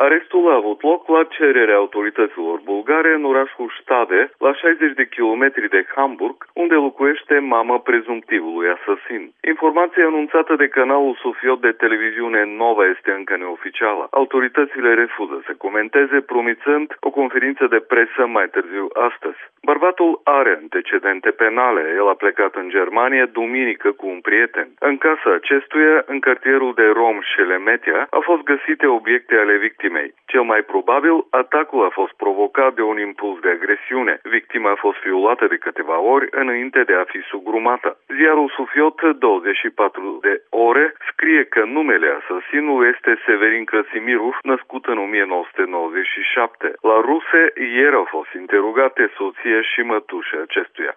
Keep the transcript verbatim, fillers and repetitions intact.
Arestul a avut loc la cererea autorităților bulgare în orașul Stade, la șaizeci de kilometri de Hamburg, unde locuiește mama prezumtivului asasin. Informația anunțată de canalul Sofiot de televiziune Nova este încă neoficială. Autoritățile refuză să comenteze, promițând o conferință de presă mai târziu astăzi. Bărbatul are antecedente penale. El a plecat în Germania duminică cu un prieten. În casa acestuia, în cartierul de rom Șelemetia, au fost găsite obiecte ale victimei. Cel mai probabil, atacul a fost provocat de un impuls de agresiune. Victima a fost violată de câteva ori înainte de a fi sugrumată. Ziarul Sofiot douăzeci și patru de ore scrie că numele asasinului este Severin Krasimirov, născut în o mie nouă sute nouăzeci și șapte. La ruse, ieri au fost interogate soția și mătușa acestuia.